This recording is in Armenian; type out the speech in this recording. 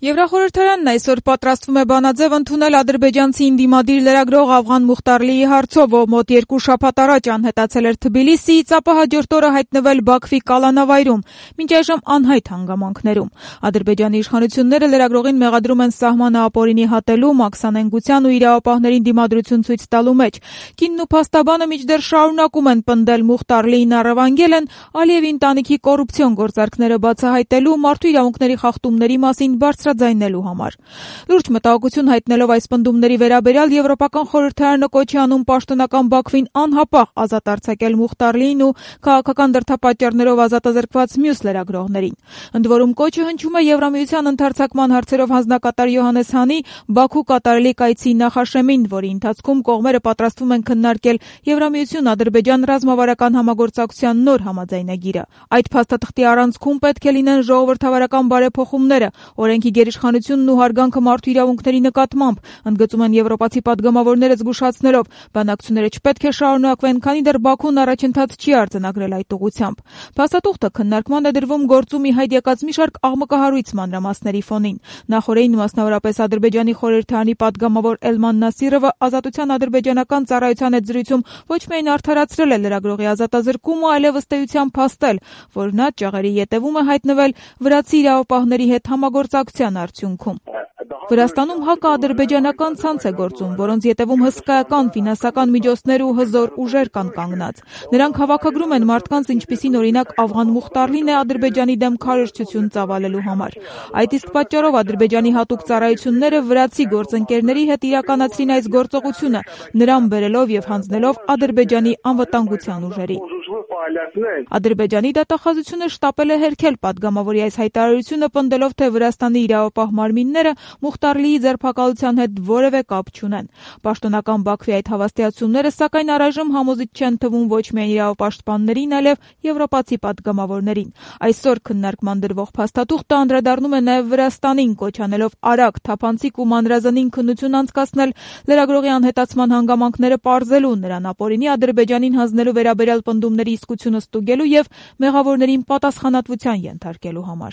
Եվրախորհրդարանն այսօր պատրաստվում է բանաձև ընդունել ադրբեջանցի ընդդիմադիր լրագրող Ավղան Մուխտարլիի հարցով, ով մոտ 2 շաբաթ առաջ անհետացել էր Թբիլիսիից, ապա հաջորդ օրը հայտնվել Բաքվի կալանավայրում, մինչ այժմ անհայտ հանգամանքներում։ Ադրբեջանի իշխանությունները լրագրողին մեղադրում են սահմանը ապօրինի հատելու, մաքսանենգության ու իրավապահներին դիմադրություն ցույց տալու մեջ։ Կինն ու փաստաբանը մինչդեռ շարունակում են պնդել Մուխտարլիին առևանգել են Ալիևի ընտանիքի կոռուպցիոն գործարքները բացահայտելու, մարդու իրավունքների խախտումների մասին բարձրաձայնելու համար։ Լուրջ մտահոգություն հայտնելով այս պնդումների վերաբերյալ Եվրոպական խորհրդարանը կոչ է անում պաշտոնական Բաքվին անհապաղ ազատ արձակել Մուխտարլիին ու քաղաքական դրդապատճառներով ազատազրկված մյուս լրագրողներին։ Ընդ որում կոչը հնչում է Եվրամիության ընդարձակման հարցերով հանձնակատար Յոհաննես Հանի Բաքու կատարելի կայցի նախաշեմին, որի ընթացքում կողմերը պատրաստվում են քննարկել Եվրամիություն-Ադրբեջան ռազմավարական համագործակցության նոր համաձայնագիրը։ Այդ փաստաթղթի առանցքում պետք է լինեն ժողովրդավարական բարեփոխումները, օրենքի գերիշխանությունն ու հարգանքը մարդու իրավունքների նկատմամբ, ընդգծում են եվրոպացի պատգամավորները զգուշացնելով, բանակցությունները չպետք է շարունակվեն, քանի դեռ Բաքուն առաջընթաց չի արձանագրել այդ ուղղությամբ։ Փաստաթուղթը քննարկման է դրվում գործում ի հայտ եկած մի շարք աղմկահարույց մանրամասների ֆոնին։ Նախորդին մասնավորապես Ադրբեջանի խորհրդարանի պատգամավոր Էլման Նասիրովը Ազատության ադրբեջանական ծառայության հետ զրույցում ոչ միայն արդարացրել է լրագրողի ազատազրկումը, այլև ըստ էության փաստել, որ նա ճաղերի ետևում է հայտնվել վրացի իրավապահների հետ համագործակցության արդյունքում։ Վրաստանում հակաադրբեջանական ցանց է գործում, որոնց ետևում հսկայական ֆինանսական միջոցներ ու հզոր ուժեր կան կանգնած։ Նրանք հավաքագրում են մարդկանց, ինչպիսին օրինակ Ավղան Մուխտարլին է, Ադրբեջանի դեմ քարոզչություն ծավալելու համար։ Այդ իսկ պատճառով Ադրբեջանի հատուկ ծառայությունները վրացի գործընկերների հետ իրականացրին այս գործողությունը, նրան բերելով եւ հանձնելով Ադրբեջանի անվտանգության ուժերին։ Ադրբեջանի դատախազությունը շտապել է հերքել պատգամավորի այս հայտարարությունը, պնդելով, թե Վրաստանի իրավապահ մարմինները Մուխտարլիի ձերբակալության հետ որևէ կապ չունեն։ Պաշտոնական Բաքվի այդ հավաստիացումները, սակայն առայժմ համոզիչ չեն թվում ոչ միայն իրավապաշտպաններին, այլև եվրոպացի պատգամավորներին։ Այսօր քննարկման դրվող փաստաթուղթը անդրադառնում է նաև Վրաստանին, կոչ անելով արագ, թափանցիկ ու մանրազնին քննություն անցկացնել լրագրողի անհետացման հանգամանքները պարզելու, նրան ապօրինի Ադրբեջանին հանձնելու վերաբերյալ պնդումների իսկությունը ստուգելու եւ մեղավորներին պատասխանատվության ենթարկելու համար։